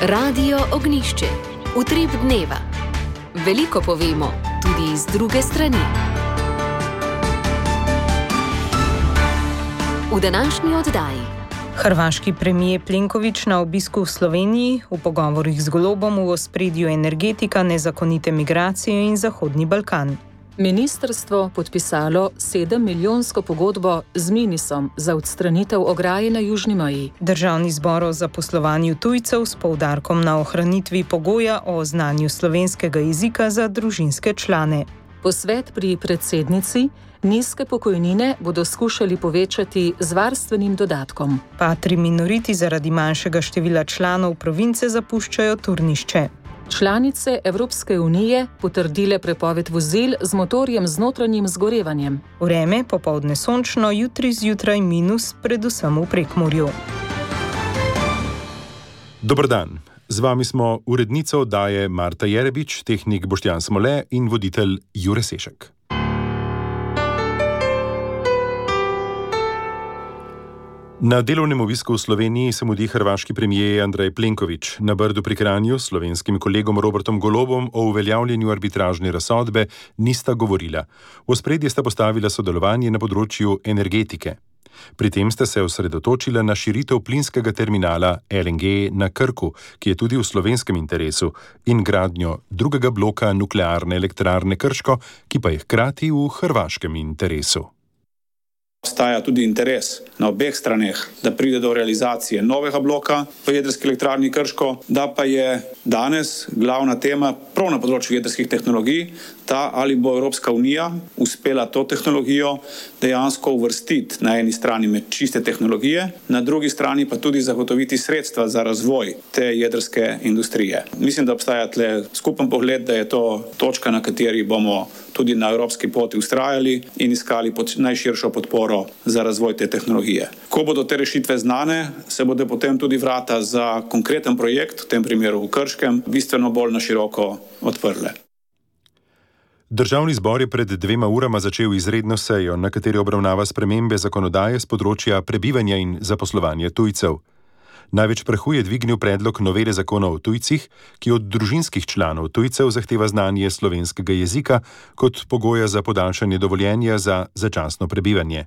Radio Ognišče, utrip dneva. Veliko povemo, tudi iz druge strani. V današnji oddaji. Hrvaški premijer Plenković na obisku v Sloveniji, v pogovorih z Golobom v ospredju energetika, nezakonite migracije in Zahodni Balkan. Ministrstvo podpisalo 7-milijonsko pogodbo z Minisom za odstranitev ograje na južni meji. Državni zbor o zaposlovanju tujcev s poudarkom na ohranitvi pogoja o znanju slovenskega jezika za družinske člane. Posvet pri predsednici: nizke pokojnine bodo skušali povečati z varstvenim dodatkom. Patri minoriti zaradi manjšega števila članov province zapuščajo Turnišče. Članice Evropske unije potrdile prepoved vozil z motorjem z notranjim zgorevanjem. Vreme popoldne sončno, jutri zjutraj minus, predvsem v Prekmurju. Dober dan. Z vami smo urednica oddaje Marta Jerebič, tehnik Boštjan Smole in voditelj Jure Sešek. Na delovnem obisku v Sloveniji se mudi hrvaški premijer Andrej Plenković. Na Brdu pri Kranju s slovenskim kolegom Robertom Golobom o uveljavljanju arbitražne razsodbe nista govorila. V ospredje sta postavila sodelovanje na področju energetike. Pri tem sta se osredotočila na širitev plinskega terminala LNG na Krku, ki je tudi v slovenskem interesu, in gradnjo drugega bloka nuklearne elektrarne Krško, ki pa je hkrati v hrvaškem interesu. Obstaja tudi interes na obeh straneh, da pride do realizacije novega bloka v jedrski elektrarni Krško, da pa je danes glavna tema prav na področju jedrskih tehnologij, ta ali bo Evropska unija uspela to tehnologijo dejansko uvrstiti na eni strani med čiste tehnologije, na drugi strani pa tudi zagotoviti sredstva za razvoj te jedrske industrije. Mislim, da obstaja tle skupen pogled, da je to točka, na kateri bomo tudi na evropski poti ustrajali in iskali najširšo podporo za razvoj te tehnologije. Ko bodo te rešitve znane, se bodo potem tudi vrata za konkreten projekt, v tem primeru v Krškem, bistveno bolj na široko odprle. Državni zbor je pred 2 urama začel izredno sejo, na kateri obravnava spremembe zakonodaje z področja prebivanja in zaposlovanja tujcev. Največ prahu je dvignil predlog novele zakona o tujcih, ki od družinskih članov tujcev zahteva znanje slovenskega jezika kot pogoja za podaljšanje dovoljenja za začasno prebivanje.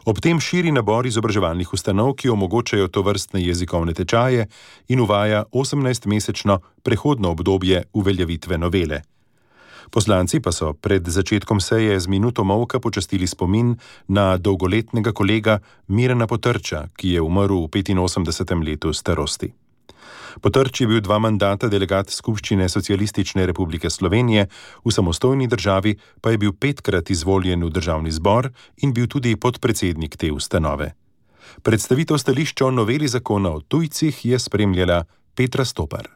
Ob tem širi nabor izobraževalnih ustanov, ki omogočajo tovrstne jezikovne tečaje, in uvaja 18-mesečno prehodno obdobje uveljavitve novele. Poslanci pa so pred začetkom seje z minuto molka počastili spomin na dolgoletnega kolega Mirana Potrča, ki je umrl v 85. letu starosti. Potrč je bil 2 mandata delegat Skupščine Socialistične republike Slovenije, v samostojni državi pa je bil 5-krat izvoljen v državni zbor in bil tudi podpredsednik te ustanove. Predstavitev stališča o noveli zakona o tujcih je spremljala Petra Stopar.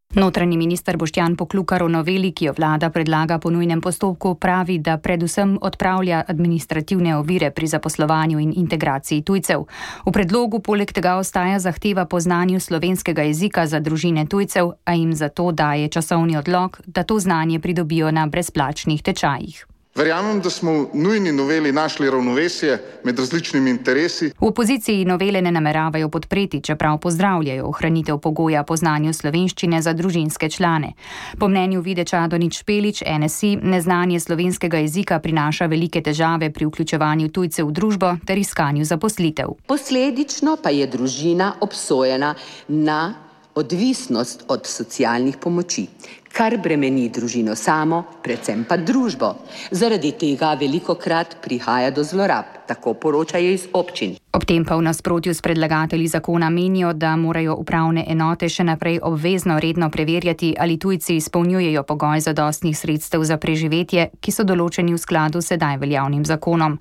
Notranji minister Boštjan Poklukar o noveli, ki jo vlada predlaga po nujnem postopku, pravi, da predvsem odpravlja administrativne ovire pri zaposlovanju in integraciji tujcev. V predlogu poleg tega ostaja zahteva po znanju slovenskega jezika za družine tujcev, a jim zato daje časovni odlog, da to znanje pridobijo na brezplačnih tečajih. Verjamem, da smo v nujni noveli našli ravnovesje med različnimi interesi. V opoziciji novele ne nameravajo podpreti, čeprav pozdravljajo ohranitev pogoja po znanju slovenščine za družinske člane. Po mnenju Vide Čadonič Špelič, NSI, neznanje slovenskega jezika prinaša velike težave pri vključevanju tujcev v družbo ter iskanju zaposlitev. Posledično pa je družina obsojena na odvisnost od socialnih pomoči, kar bremeni družino samo, predvsem pa družbo. Zaradi tega velikokrat prihaja do zlorab, tako poročajo iz občin. Ob tem pa v nasprotju s predlagatelji zakona menijo, da morajo upravne enote še naprej obvezno redno preverjati, ali tujci izpolnjujejo pogoj zadostnih sredstev za preživetje, ki so določeni v skladu s sedaj veljavnim zakonom.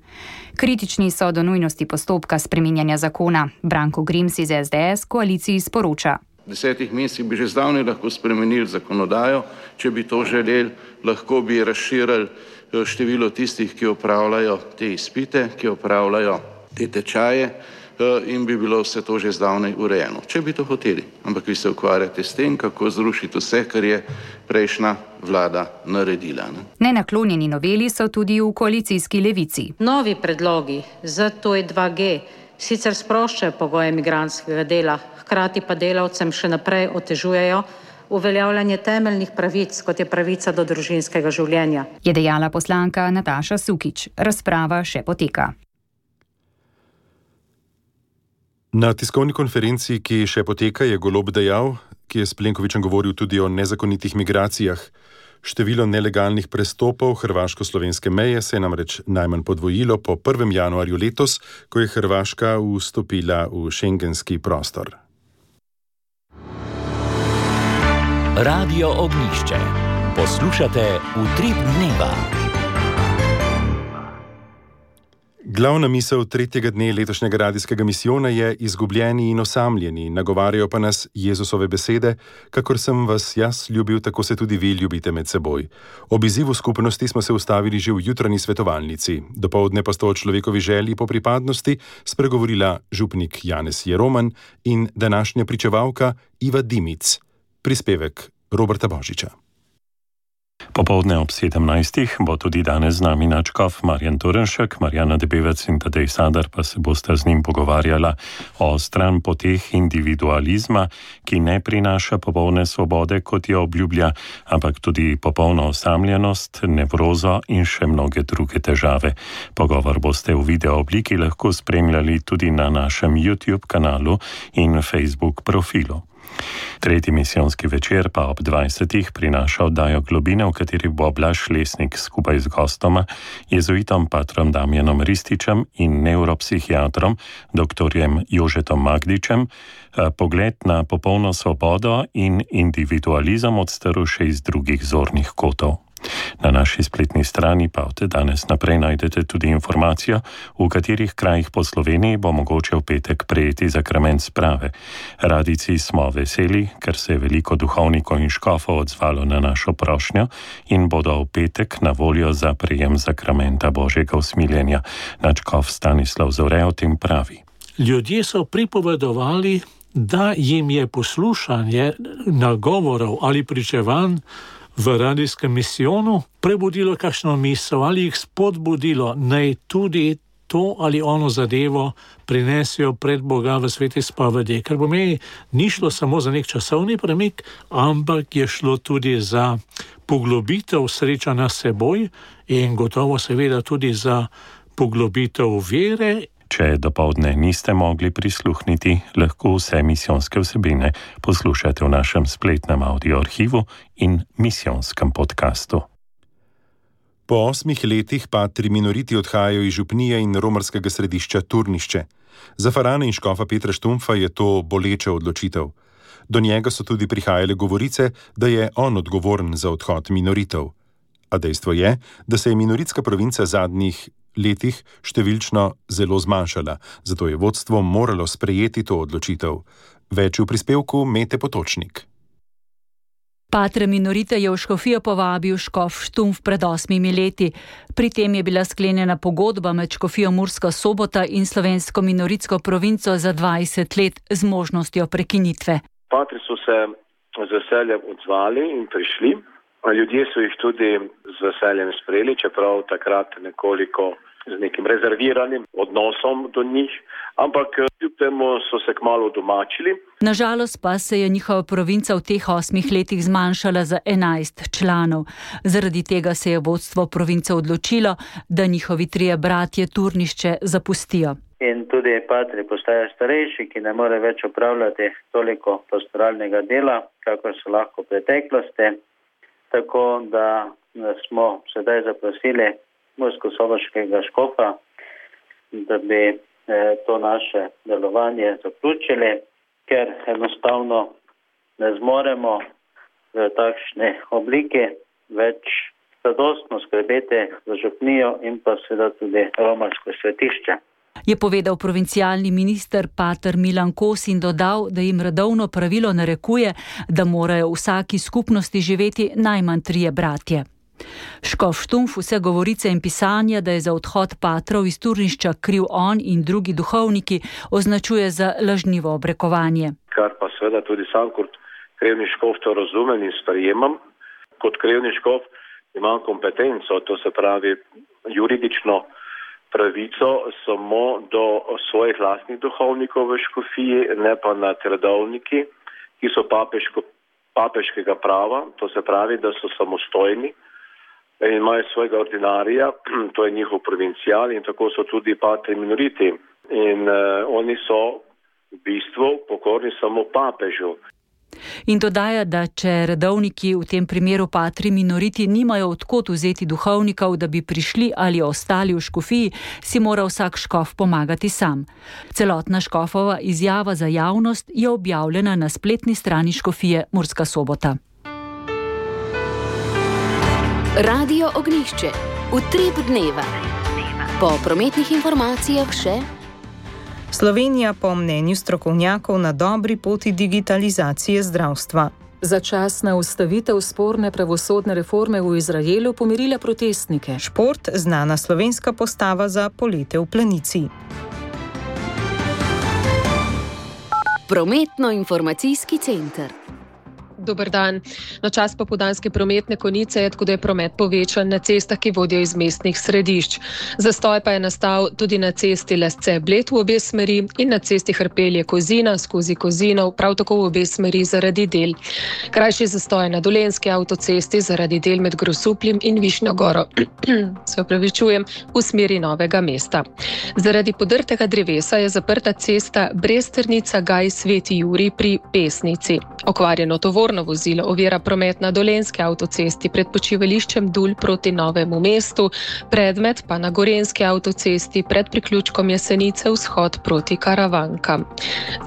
Kritični so do nujnosti postopka spreminjanja zakona. Branko Grims iz SDS koaliciji sporoča: V 10 mesecih bi že zdavnaj lahko spremenili zakonodajo, če bi to želeli, lahko bi razširili število tistih, ki opravljajo te izpite, ki opravljajo te tečaje, in bi bilo vse to že zdavnaj urejeno, če bi to hoteli. Ampak vi se ukvarjate s tem, kako zrušiti vse, kar je prejšnja vlada naredila. Nenaklonjeni noveli so tudi v koalicijski Levici. Novi predlogi za to je 2G, sicer sproščajo pogoje migrantskega dela, hkrati pa delavcem še naprej otežujejo uveljavljanje temeljnih pravic, kot je pravica do družinskega življenja. Je dejala poslanka Nataša Sukič. Razprava še poteka. Na tiskovni konferenci, ki še poteka, je Golob dejal, ki je s Plenkovićem govoril tudi o nezakonitih migracijah. Število nelegalnih prestopov hrvaško-slovenske meje se je namreč najmanj podvojilo po 1. januarju letos, ko je Hrvaška vstopila v šengenski prostor. Radio Ognjišče. Poslušate Utrip dneva. Glavna misel tretjega dne letošnjega radijskega misijona je izgubljeni in osamljeni, nagovarjajo pa nas Jezusove besede, kakor sem vas jaz ljubil, tako se tudi vi ljubite med seboj. Ob izzivu skupnosti smo se ustavili že v jutranji svetovalnici. Dopoldne pa sta o človekovi želji po pripadnosti spregovorila župnik Janez Jeroman in današnja pričevalka Iva Dimic. Prispevek Roberta Božiča. Popoldne ob 17. bo tudi danes z nami nadškof Marjan Torenšek, Marjana Debevec in Tadej Sadar pa se bosta z njim pogovarjala o stranpoteh individualizma, ki ne prinaša popolne svobode, kot jo obljublja, ampak tudi popolno osamljenost, nevrozo in še mnoge druge težave. Pogovor boste v video obliki lahko spremljali tudi na našem YouTube kanalu in Facebook profilu. Tretji misijonski večer pa ob 20. prinaša oddajo Globine, v kateri bo Blaž Lesnik skupaj z gostoma, jezuitom patrom Damjanom Rističem in nevropsihiatrom dr. Jožetom Magdičem, pogled na popolno svobodo in individualizem odstrl še iz drugih zornih kotov. Na naši spletni strani pa od danes naprej najdete tudi informacijo, v katerih krajih po Sloveniji bo mogoče v petek prejeti zakrament sprave. Radijci smo veseli, ker se je veliko duhovnikov in škofov odzvalo na našo prošnjo in bodo v petek na voljo za prejem zakramenta Božjega usmiljenja. Nadškof Stanislav Zore o tem pravi. Ljudje so pripovedovali, da jim je poslušanje nagovorov ali pričevanj v radijskem misijonu prebudilo kakšno misel ali jih spodbudilo, naj tudi to ali ono zadevo prinesijo pred Boga v sveti spovedi. Ker pomeni, ni šlo samo za nek časovni premik, ampak je šlo tudi za poglobitev srečanja s seboj in gotovo seveda tudi za poglobitev vere. Če dopoldne niste mogli prisluhniti, lahko vse misijonske vsebine poslušate v našem spletnem audio arhivu in misijonskem podkastu. Po 8 letih patri minoriti odhajajo iz župnije in romarskega središča Turnišče. Za farana in škofa Petra Štumpfa je to boleča odločitev. Do njega so tudi prihajale govorice, da je on odgovoren za odhod minoritov. A dejstvo je, da se je minoritska provinca zadnjih letih številčno zelo zmanjšala, zato je vodstvo moralo sprejeti to odločitev. Več v prispevku Mete Potočnik. Patre minorite je v škofijo povabil škof Štumpf pred 8 leti. Pri tem je bila sklenjena pogodba med škofijo Murska Sobota in slovensko minoritsko provinco za 20 let z možnostjo prekinitve. Patri so se z veseljem odzvali in prišli. Ljudje so jih tudi z veseljem sprejeli, čeprav takrat nekoliko z nekim rezerviranim odnosom do njih, ampak kljub temu so se kmalu domačili. Nažalost pa se je njihova provinca v teh 8 letih zmanjšala za 11 članov. Zaradi tega se je vodstvo province odločilo, da njihovi 3 bratje Turnišče zapustijo. In tudi patri postajajo starejši, ki ne more več opravljati toliko pastoralnega dela, kakor so lahko v preteklosti. Tako da smo sedaj zaprosili murskosoboškega škofa, da bi to naše delovanje zaključili, ker enostavno ne zmoremo v takšni obliki več zadostno skrbeti za župnijo in pa seveda tudi romarsko svetišče. Je povedal provincialni minister pater Milan Kos in dodal, da jim redovno pravilo narekuje, da morajo v vsaki skupnosti živeti najmanj 3 bratje. Škof Štumpf vse govorice in pisanja, da je za odhod patrov iz Turnišča kriv on in drugi duhovniki, označuje za lažnivo obrekovanje. Kar pa seveda tudi sam kot krevni škof to razumem in sprejemam. Kot krevni škof imam kompetenco, to se pravi juridično pravico samo do svojih lastnih duhovnikov v škofiji, ne pa nad redovniki, ki so papeškega prava, to se pravi, da so samostojni in imajo svojega ordinarija, to je njihov provincial in tako so tudi patri minoriti. In oni so v bistvu pokorni samo papežu. In dodaja, da če redovniki, v tem primeru patri minoriti, nimajo odkot vzeti duhovnikov, da bi prišli ali ostali v škofiji, si mora vsak škof pomagati sam. Celotna škofova izjava za javnost je objavljena na spletni strani škofije Murska Sobota. Radio Ognjišče. Utrip dneva. Po prometnih informacijah še Slovenija po mnenju strokovnjakov na dobri poti digitalizacije zdravstva. Začasna ustavitev sporne pravosodne reforme v Izraelu pomirila protestnike. Šport, znana slovenska postava za polete v Planici. Prometno-informacijski center. Dober dan. Na čas popoldanske prometne konice je tako, da je promet povečan na cestah, ki vodijo iz mestnih središč. Zastoj pa je nastal tudi na cesti Lesce-Bled v obe smeri in na cesti Hrpelje-Kozina skozi Kozinov, prav tako v obe smeri zaradi del. Krajši zastoj na Dolenjski avtocesti zaradi del med Grosupljem in Višnjo Goro. Se opravičujem, v smeri Novega mesta. Zaradi podrtega drevesa je zaprta cesta Bresternica-Gaj-Sveti Jurij pri Pesnici. Okvarjeno tovorno vozilo ovira promet na Dolenjski avtocesti pred počivališčem Dul proti Novemu mestu, predmet pa na Gorenjski avtocesti pred priključkom Jesenice vzhod proti Karavankam.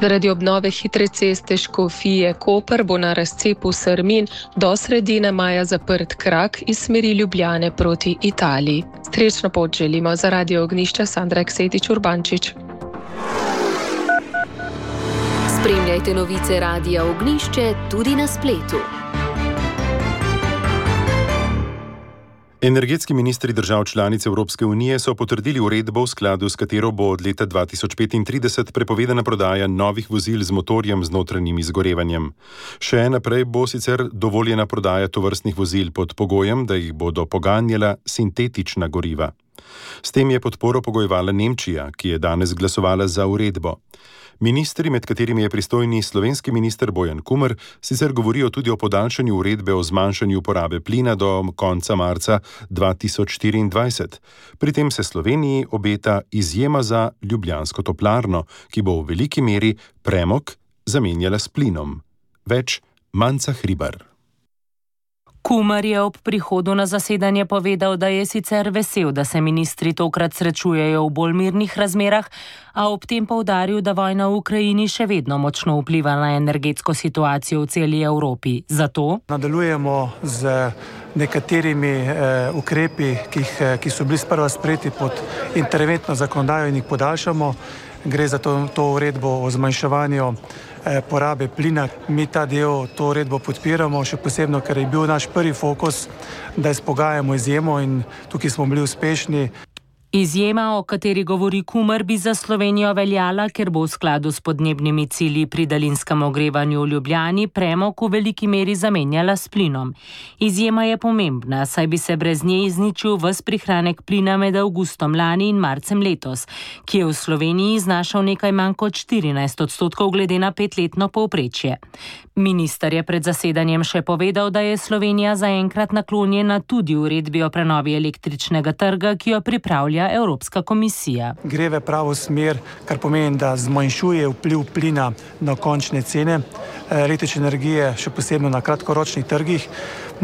Zaradi obnove hitre ceste Škofije Koper bo na razcepu Srmin do sredine maja zaprt krak iz smeri Ljubljane proti Italiji. Srečno pot želimo. Za Radio Ognjišče Sandra Eksetič-Urbančič. Spremljajte novice Radia Ognjišče tudi na spletu. Energetski ministri držav članic Evropske unije so potrdili uredbo, v skladu s katero bo od leta 2035 prepovedana prodaja novih vozil z motorjem z notranjim izgorevanjem. Še naprej bo sicer dovoljena prodaja tovrstnih vozil pod pogojem, da jih bodo poganjala sintetična goriva. S tem je podporo pogojevala Nemčija, ki je danes glasovala za uredbo. Ministri, med katerimi je pristojni slovenski minister Bojan Kumer, sicer govorijo tudi o podaljšanju uredbe o zmanjšanju porabe plina do konca marca 2024. Pri tem se Sloveniji obeta izjema za ljubljansko toplarno, ki bo v veliki meri premog zamenjala s plinom. Več Manca Hribar. Kumer je ob prihodu na zasedanje povedal, da je sicer vesel, da se ministri tokrat srečujejo v bolj mirnih razmerah, a ob tem poudaril, da vojna v Ukrajini še vedno močno vpliva na energetsko situacijo v celi Evropi. Zato nadaljujemo z nekaterimi ukrepi, ki so bili sprva sprejeti pod interventno zakonodajo in jih podaljšamo. Gre za to uredbo o zmanjševanju porabe plina. Mi ta del, to uredbo podpiramo, še posebno, ker je bil naš prvi fokus, da izpogajamo izjemo in tukaj smo bili uspešni. Izjema, o kateri govori Kumer, bi za Slovenijo veljala, ker bo v skladu s podnebnimi cilji pri daljinskem ogrevanju v Ljubljani premog v veliki meri zamenjala s plinom. Izjema je pomembna, saj bi se brez nje izničil ves prihranek plina med avgustom lani in marcem letos, ki je v Sloveniji znašal nekaj manj kot 14% glede na 5-letno povprečje. Minister je pred zasedanjem še povedal, da je Slovenija zaenkrat naklonjena tudi uredbi o prenovi električnega trga, ki jo pripravlja Evropska komisija. Gre v pravo smer, kar pomeni, da zmanjšuje vpliv plina na končne cene električne energije, še posebno na kratkoročnih trgih.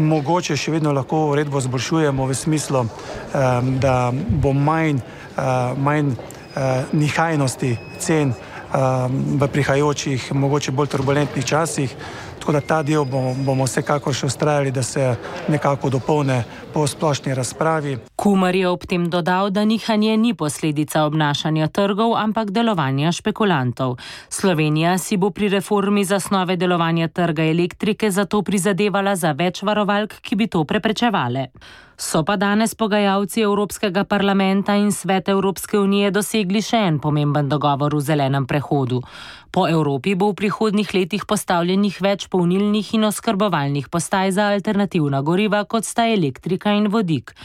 Mogoče še vedno lahko uredbo zboljšujemo v smislu, da bo manj nihajnosti cen v prihajajočih, mogoče bolj turbulentnih časih. Tako da ta del bomo vsekakor še vztrajali, da se nekako dopolne po splošni razpravi. Kumer je ob tem dodal, da nihanje ni posledica obnašanja trgov, ampak delovanja špekulantov. Slovenija si bo pri reformi zasnove delovanja trga elektrike zato prizadevala za več varovalk, ki bi to preprečevale. So pa danes pogajalci Evropskega parlamenta in Svet Evropske unije dosegli še en pomemben dogovor v zelenem prehodu. Po Evropi bo v prihodnjih letih postavljenih več polnilnih in oskrbovalnih postaj za alternativna goriva, kot sta elektrika in vodik.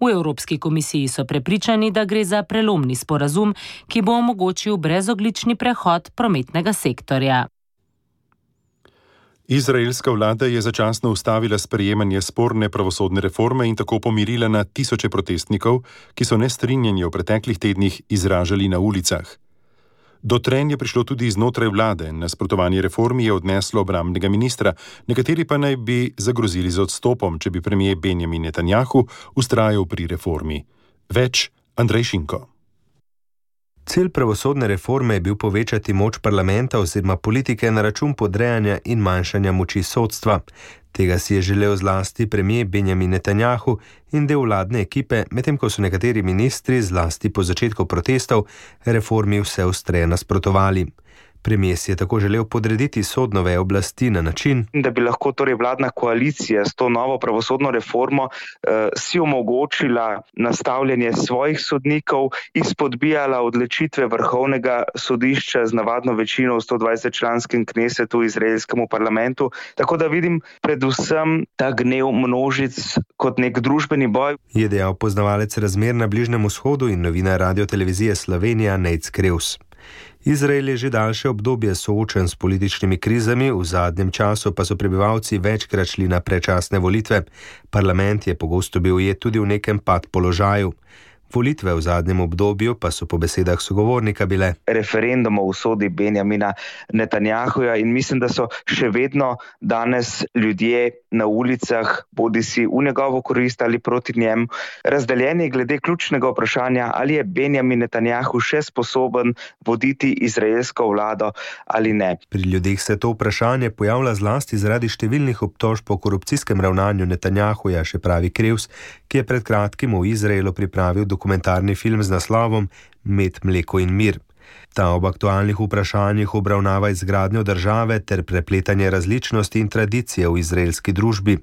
V Evropski komisiji so prepričani, da gre za prelomni sporazum, ki bo omogočil brezoglični prehod prometnega sektorja. Izraelska vlada je začasno ustavila sprejemanje sporne pravosodne reforme in tako pomirila na tisoče protestnikov, ki so nestrinjanje v preteklih tednih izražali na ulicah. Do trenja je prišlo tudi znotraj vlade. Nasprotovanje reformi je odneslo obrambnega ministra, nekateri pa naj bi zagrozili z odstopom, če bi premier Benjamin Netanjahu vztrajal pri reformi. Več Andrej Šinko. Cilj pravosodne reforme je bil povečati moč parlamenta oziroma politike na račun podrejanja in manjšanja moči sodstva. Tega si je želel zlasti premier Benjamin Netanjahu in del vladne ekipe, medtem ko so nekateri ministri zlasti po začetku protestov reformi vse ostreje nasprotovali. Premier si je tako želel podrediti sodno vejo oblasti na način, da bi lahko torej vladna koalicija s to novo pravosodno reformo si omogočila nastavljanje svojih sodnikov, izpodbijala odločitve vrhovnega sodišča z navadno večino v 120-članskem knesetu izraelskemu parlamentu. Tako da vidim predvsem ta gnev množic kot nek družbeni boj. Je dejal poznavalec razmer na Bližnjem vzhodu in novinar Radiotelevizije Slovenija Nejc Krevs. Izrael je že daljše obdobje soočen s političnimi krizami, v zadnjem času pa so prebivalci večkrat šli na predčasne volitve. Parlament je pogosto bil ujet tudi v nekem pad položaju. Volitve v zadnjem obdobju pa so po besedah sogovornika bile referendum o usodi Benjamina Netanjahuja in mislim, da so še vedno danes ljudje na ulicah, bodisi v njegovo korist ali proti njemu, razdeljeni glede ključnega vprašanja, ali je Benjamin Netanjahu še sposoben voditi izraelsko vlado ali ne. Pri ljudeh se to vprašanje pojavlja zlasti zaradi številnih obtožb o korupcijskem ravnanju Netanjahuja, še pravi Krevs, ki je pred kratkim v Izraelu pripravil dokumentarni film z naslovom Med, mleko in mir. Ta ob aktualnih vprašanjih obravnava izgradnjo države ter prepletanje različnosti in tradicije v izraelski družbi.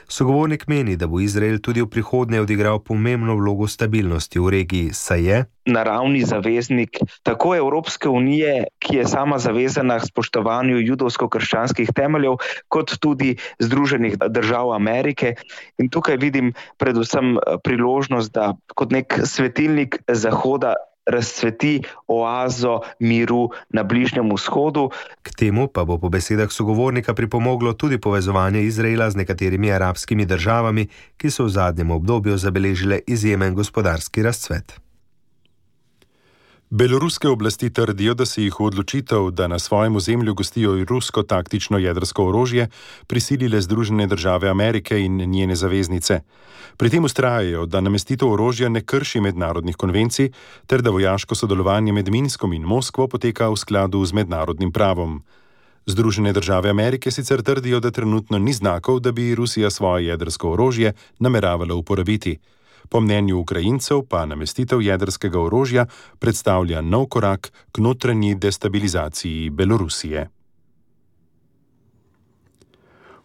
Sogovornik meni, da bo Izrael tudi v prihodnje odigral pomembno vlogo stabilnosti v regiji, saj je naravni zaveznik tako Evropske unije, ki je sama zavezana k spoštovanju judovsko-krščanskih temeljev, kot tudi Združenih držav Amerike. In tukaj vidim predvsem priložnost, da kot nek svetilnik Zahoda razcveti oazo miru na Bližnjem vzhodu. K temu pa bo po besedah sogovornika pripomoglo tudi povezovanje Izraela z nekaterimi arabskimi državami, ki so v zadnjem obdobju zabeležile izjemen gospodarski razcvet. Beloruske oblasti trdijo, da se jih v odločitev, da na svojem ozemlju gostijo rusko taktično jedrsko orožje, prisilile Združene države Amerike in njene zaveznice. Pri tem vztrajajo, da namestitev orožja ne krši mednarodnih konvencij, ter da vojaško sodelovanje med Minskom in Moskvo poteka v skladu z mednarodnim pravom. Združene države Amerike sicer trdijo, da trenutno ni znakov, da bi Rusija svoje jedrsko orožje nameravala uporabiti. Po mnenju Ukrajincev pa namestitev jedrskega orožja predstavlja nov korak k notranji destabilizaciji Belorusije.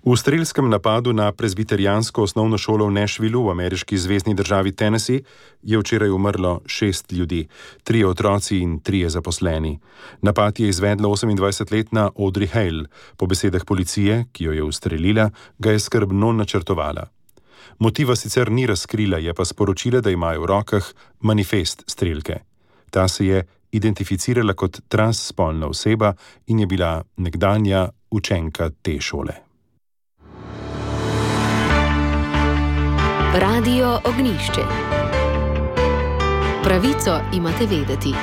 V strelskem napadu na prezbiterijansko osnovno šolo v Nashvillu v ameriški zvezni državi Tennessee je včeraj umrlo 6 ljudi, 3 otroci in 3 zaposleni. Napad je izvedla 28-letna Audrey Hale. Po besedah policije, ki jo je ustrelila, ga je skrbno načrtovala. Motiva sicer ni razkrila, je pa sporočila, da imajo v rokah manifest strelke. Ta se je identificirala kot transspolna oseba in je bila nekdanja učenka te šole. Radio Ognišče. Pravico imate vedeti.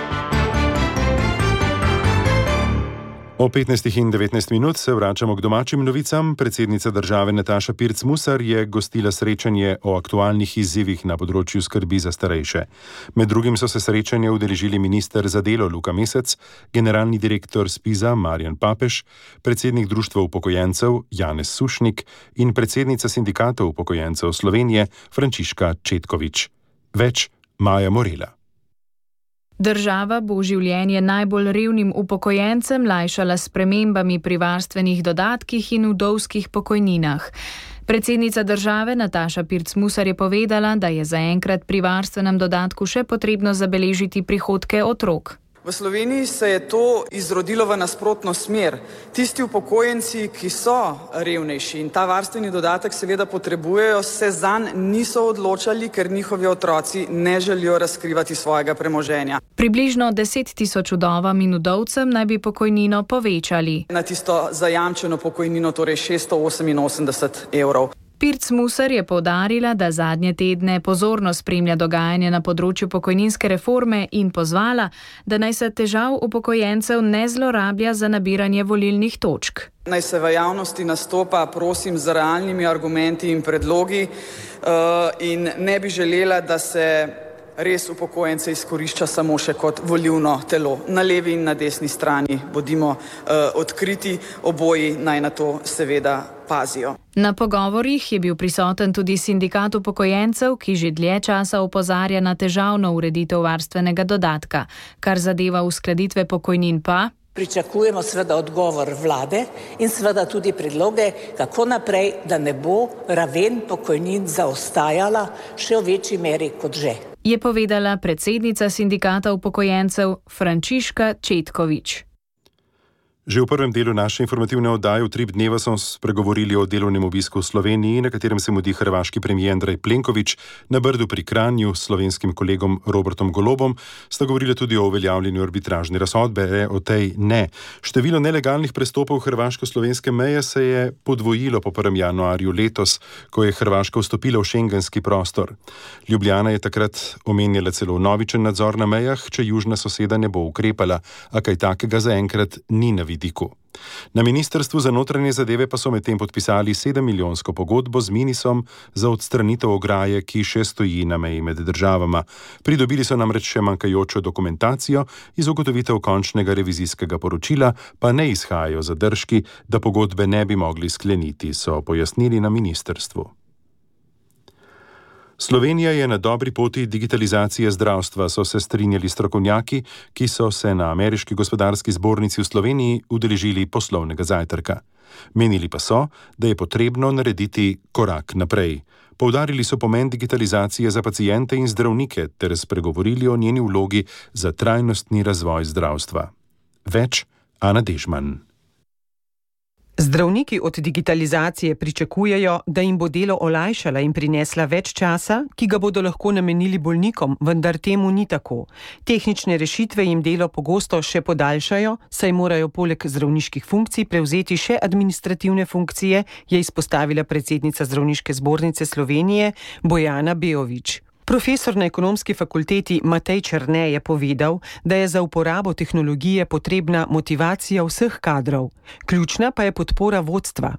O 15 in 19 minut se vračamo k domačim novicam. Predsednica države Nataša Pirc Musar je gostila srečanje o aktualnih izzivih na področju skrbi za starejše. Med drugim so se srečanja udeležili minister za delo Luka Mesec, generalni direktor SPIZ-a Marjan Papež, predsednik Društva upokojencev Janez Sušnik in predsednica sindikata upokojencev Slovenije Frančiška Četkovič. Več Maja Morela. Država bo življenje najbolj revnim upokojencem lajšala s spremembami pri varstvenih dodatkih in vdovskih pokojninah. Predsednica države Nataša Pirc Musar je povedala, da je zaenkrat pri varstvenem dodatku še potrebno zabeležiti prihodke otrok. V Sloveniji se je to izrodilo v nasprotno smer. Tisti upokojenci, ki so revnejši in ta varstveni dodatek seveda potrebujejo, se zanj niso odločali, ker njihovi otroci ne želijo razkrivati svojega premoženja. Približno 10 tisoč vdovam in vdovcem naj bi pokojnino povečali. Na tisto zajamčeno pokojnino, torej 688 evrov. Pirc Musar je poudarila, da zadnje tedne pozorno spremlja dogajanje na področju pokojninske reforme in pozvala, da naj se težav upokojencev ne zlorablja za nabiranje volilnih točk. Naj se v javnosti nastopa, prosim, z realnimi argumenti in predlogi in ne bi želela, da se res upokojence izkorišča samo še kot volilno telo. Na levi in na desni strani bodimo odkriti, oboji naj na to seveda pazijo. Na pogovorih je bil prisoten tudi sindikat upokojencev, ki že dlje časa opozarja na težavno ureditev varstvenega dodatka. Kar zadeva uskladitve pokojnin pa pričakujemo seveda odgovor vlade in seveda tudi predloge, kako naprej, da ne bo raven pokojnin zaostajala še v večji meri kot že. Je povedala predsednica sindikata upokojencev Frančiška Četkovič. Že v prvem delu naše informativne oddaje Utrip dneva smo spregovorili o delovnem obisku v Sloveniji, na katerem se mudi hrvaški premijer Andrej Plenković. Na Brdu pri Kranju s slovenskim kolegom Robertom Golobom sta govorili tudi o uveljavljanju arbitražne razsodbe, o tej ne. Število nelegalnih prestopov hrvaško-slovenske meje se je podvojilo po 1. januarju letos, ko je Hrvaška vstopila v šengenski prostor. Ljubljana je takrat omenjala celo vnovičen nadzor na mejah, če južna soseda ne bo ukrepala, a kaj takega zaenkrat ni na vidiku. Na Ministrstvu za notranje zadeve pa so medtem podpisali 7-milijonsko pogodbo z Minisom za odstranitev ograje, ki še stoji na meji med državama. Pridobili so namreč še manjkajočo dokumentacijo, iz ugotovitev končnega revizijskega poročila pa ne izhajajo zadržki, da pogodbe ne bi mogli skleniti, so pojasnili na ministrstvu. Slovenija je na dobri poti digitalizacije zdravstva, so se strinjali strokovnjaki, ki so se na Ameriški gospodarski zbornici v Sloveniji udeležili poslovnega zajtrka. Menili pa so, da je potrebno narediti korak naprej. Poudarili so pomen digitalizacije za paciente in zdravnike ter spregovorili o njeni vlogi za trajnostni razvoj zdravstva. Več Ana Dežman. Zdravniki od digitalizacije pričakujejo, da jim bo delo olajšala in prinesla več časa, ki ga bodo lahko namenili bolnikom, vendar temu ni tako. Tehnične rešitve jim delo pogosto še podaljšajo, saj morajo poleg zdravniških funkcij prevzeti še administrativne funkcije, je izpostavila predsednica Zdravniške zbornice Slovenije Bojana Beović. Profesor na ekonomski fakulteti Matej Černe je povedal, da je za uporabo tehnologije potrebna motivacija vseh kadrov. Ključna pa je podpora vodstva.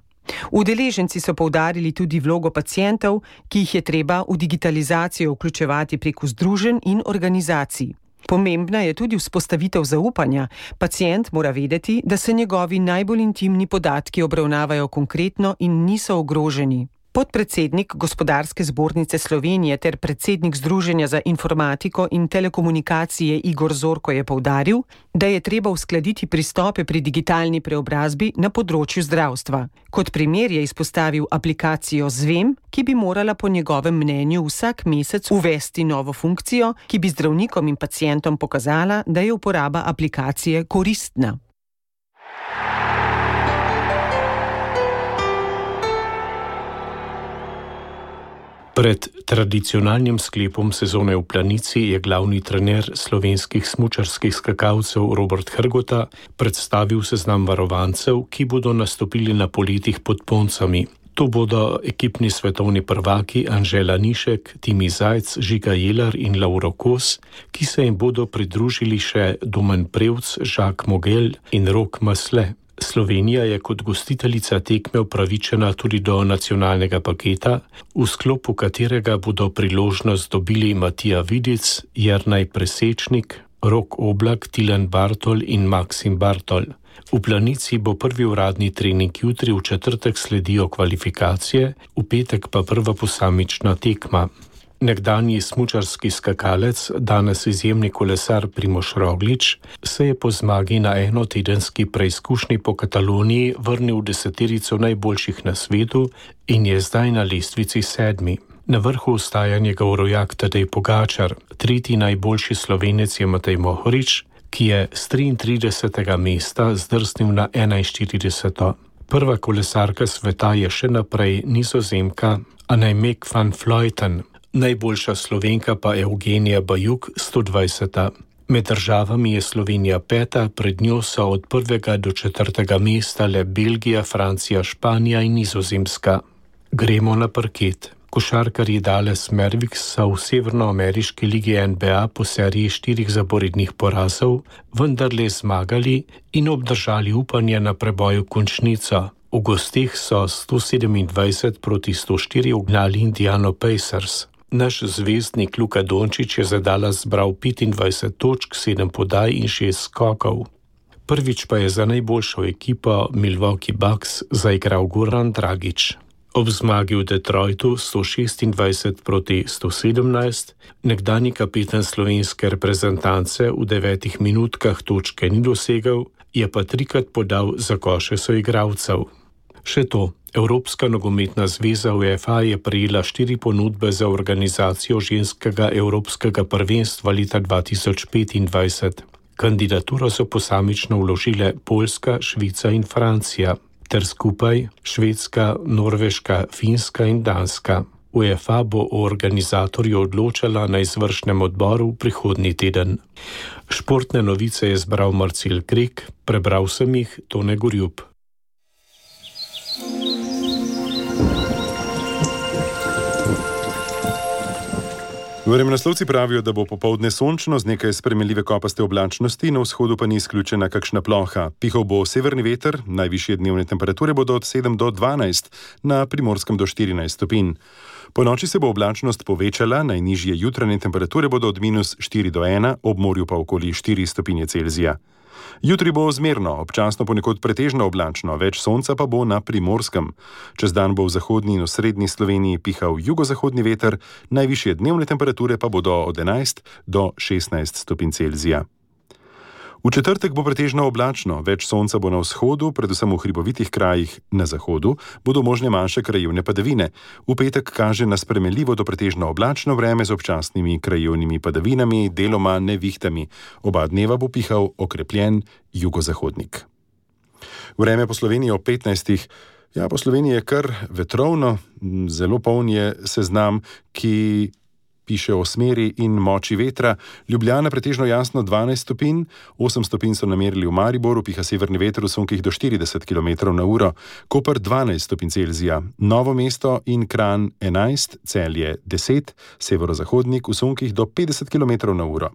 Udeleženci so poudarili tudi vlogo pacientov, ki jih je treba v digitalizacijo vključevati preko združenj in organizacij. Pomembna je tudi vzpostavitev zaupanja. Pacient mora vedeti, da se njegovi najbolj intimni podatki obravnavajo konkretno in niso ogroženi. Podpredsednik Gospodarske zbornice Slovenije ter predsednik Združenja za informatiko in telekomunikacije Igor Zorko je poudaril, da je treba uskladiti pristope pri digitalni preobrazbi na področju zdravstva. Kot primer je izpostavil aplikacijo Zvem, ki bi morala po njegovem mnenju vsak mesec uvesti novo funkcijo, ki bi zdravnikom in pacientom pokazala, da je uporaba aplikacije koristna. Pred tradicionalnim sklepom sezone v Planici je glavni trener slovenskih smučarskih skakalcev Robert Hrgota predstavil seznam varovancev, ki bodo nastopili na poletih pod Poncami. To bodo ekipni svetovni prvaki Anžela Nišek, Timi Zajc, Žiga Jelar in Lauro Kos, ki se jim bodo pridružili še Domen Prevc, Žak Mogel in Rok Masle. Slovenija je kot gostiteljica tekme upravičena tudi do nacionalnega paketa, v sklopu katerega bodo priložnost dobili Matija Vidic, Jernaj Presečnik, Rok Oblak, Tilen Bartol in Maksim Bartol. V Planici bo prvi uradni trening jutri, v četrtek sledijo kvalifikacije, v petek pa prva posamična tekma. Nekdanji smučarski skakalec, danes izjemni kolesar Primož Roglič, se je po zmagi na enotedenski preizkušnji po Kataloniji vrnil v deseterico najboljših na svetu in je zdaj na lestvici 7. Na vrhu ostaja njegov rojak Tadej Pogačar, tretji najboljši Slovenec je Matej Mohorič, ki je z 33. mesta zdrsnil na 41. Prva kolesarka sveta je še naprej Nizozemka Annemiek van Vleuten, najboljša Slovenka pa Evgenija Bajuk 120. Med državami je Slovenija 5., pred njo so od 1. do 4. mesta le Belgija, Francija, Španija in Nizozemska. Gremo na parket. Košarkarji Dallas Mavericks so v severnoameriški ligi NBA po seriji 4 zaporednih porazov vendarle zmagali in obdržali upanje na preboj v končnico. V gosteh so 127-104 ugnali Indiana Pacers. Naš zvezdnik Luka Dončić je za Dallas zbral 25 točk, 7 podaj in 6 skokov. Prvič pa je za najboljšo ekipo Milwaukee Bucks zaigral Goran Dragić. Ob zmagi v Detroitu 126-117 nekdanji kapetan slovenske reprezentance v 9 minutkah točke ni dosegel, je pa 3-krat podal za koše soigralcev. Še to, Evropska nogometna zveza UEFA je prejela 4 ponudbe za organizacijo ženskega evropskega prvenstva leta 2025. Kandidaturo so posamično vložile Poljska, Švica in Francija, ter skupaj Švedska, Norveška, Finska in Danska. UEFA bo o organizatorju odločala na izvršnem odboru prihodnji teden. Športne novice je zbral Marcel Krek, prebral sem jih Tone Gorjup. Vremenoslovci pravijo, da bo popoldne sončno z nekaj spremenljive kopaste oblačnosti, na vzhodu pa ni izključena kakšna ploha. Pihal bo severni veter, najvišje dnevne temperature bodo od 7 do 12, na Primorskem do 14 stopinj. Po noči se bo oblačnost povečala, najnižje jutranje temperature bodo od -4 do 1, ob morju pa okoli 4 stopinje Celzija. Jutri bo zmerno, občasno ponekod pretežno oblačno, več sonca pa bo na Primorskem. Čez dan bo v zahodni in osrednji Sloveniji pihal jugozahodni veter, najvišje dnevne temperature pa bodo od 11 do 16 stopinj Celzija. V četrtek bo pretežno oblačno, več sonca bo na vzhodu, predvsem v hribovitih krajih na zahodu, bodo možne manjše krajevne padavine. V petek kaže na spremenljivo do pretežno oblačno vreme z občasnimi krajevnimi padavinami, deloma nevihtami. Oba dneva bo pihal okrepljen jugozahodnik. Vreme po Sloveniji ob 15. Po Sloveniji je kar vetrovno, zelo poln je seznam, ki piše o smeri in moči vetra. Ljubljana pretežno jasno 12 stopinj, 8 stopinj so namerili v Mariboru, piha severni veter v sunkih do 40 km/h, Koper 12 stopinj Celzija, Novo mesto in Kranj 11, Celje 10, severozahodnik v sunkih do 50 km/h.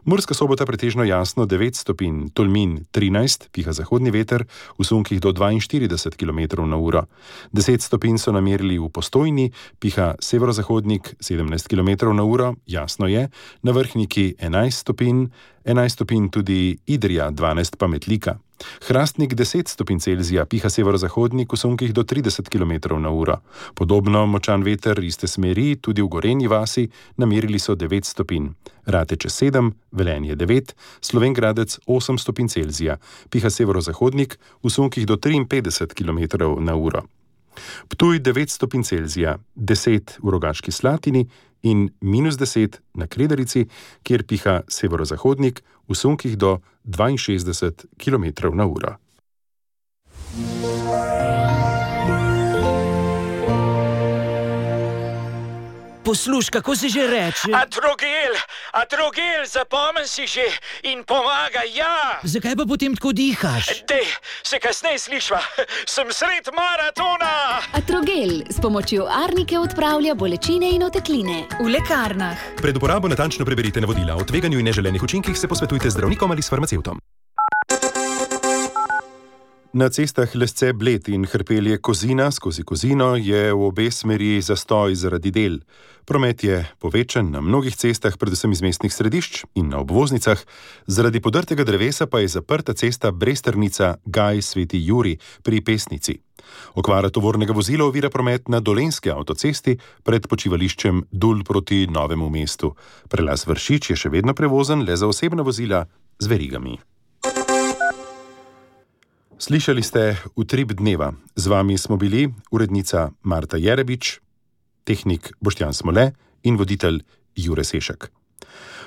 Murska Sobota pretežno jasno 9 stopinj, Tolmin 13, piha zahodni veter v sunkih do 42 km/h. 10 stopinj so namerili v Postojni, piha severozahodnik 17 km/h, jasno je, na Vrhniki 11 stopinj tudi Idrija, 12 pa Metlika. Hrastnik 10 stopinj Celzija, piha severozahodnik v sunkih do 30 km/h. Podobno močan veter iste smeri tudi v Gorenji vasi, namerili so 9 stopinj. Rateče 7, Velenje 9, Slovenj Gradec 8 stopinj Celzija, piha severozahodnik v sunkih do 53 km/h. Ptuj 9 stopinj Celzija, 10 v Rogaški Slatini in -10 na Kredarici, kjer piha severozahodnik v sunkih do 62 km/h. Poslušaj, kako se že reče? Atrogel, zapomni si že in pomaga, ja. Zakaj pa potem tako dihaš? Dej, se kasneje slišva, sem sred maratona. Atrogel s pomočjo arnike odpravlja bolečine in otekline. V lekarnah. Pred uporabo natančno preberite navodila. O tveganju in neželenih učinkih se posvetujte z zdravnikom ali s farmacevtom. Na cestah Lesce-Bled in Hrpelje-Kozina skozi Kozino je v obe smeri zastoj zaradi del. Promet je povečan na mnogih cestah, predvsem iz mestnih središč in na obvoznicah, zaradi podrtega drevesa pa je zaprta cesta Bresternica-Gaj Sveti Jurij pri Pesnici. Okvara tovornega vozila ovira promet na Dolenjski avtocesti pred počivališčem Dul proti Novemu mestu. Prelaz Vršič je še vedno prevozen le za osebna vozila z verigami. Slišali ste Utrip dneva. Z vami smo bili urednica Marta Jerebič, tehnik Boštjan Smole in voditelj Jure Sešek.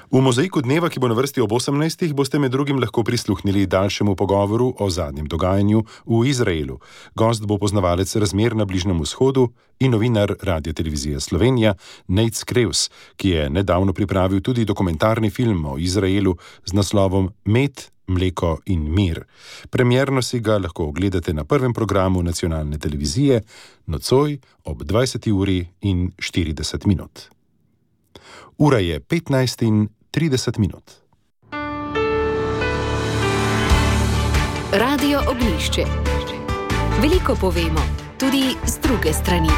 V mozaiku dneva, ki bo na vrsti ob 18. boste med drugim lahko prisluhnili daljšemu pogovoru o zadnjem dogajanju v Izraelu. Gost bo poznavalec razmer na Bližnjem vzhodu in novinar Radiotelevizije Slovenija Nejc Krevs, ki je nedavno pripravil tudi dokumentarni film o Izraelu z naslovom Med, mleko in mir. Premierno si ga lahko ogledate na prvem programu nacionalne televizije nocoj ob 20:40. Ura je 15:30. Radio Oglišče. Veliko povemo, tudi z druge strani.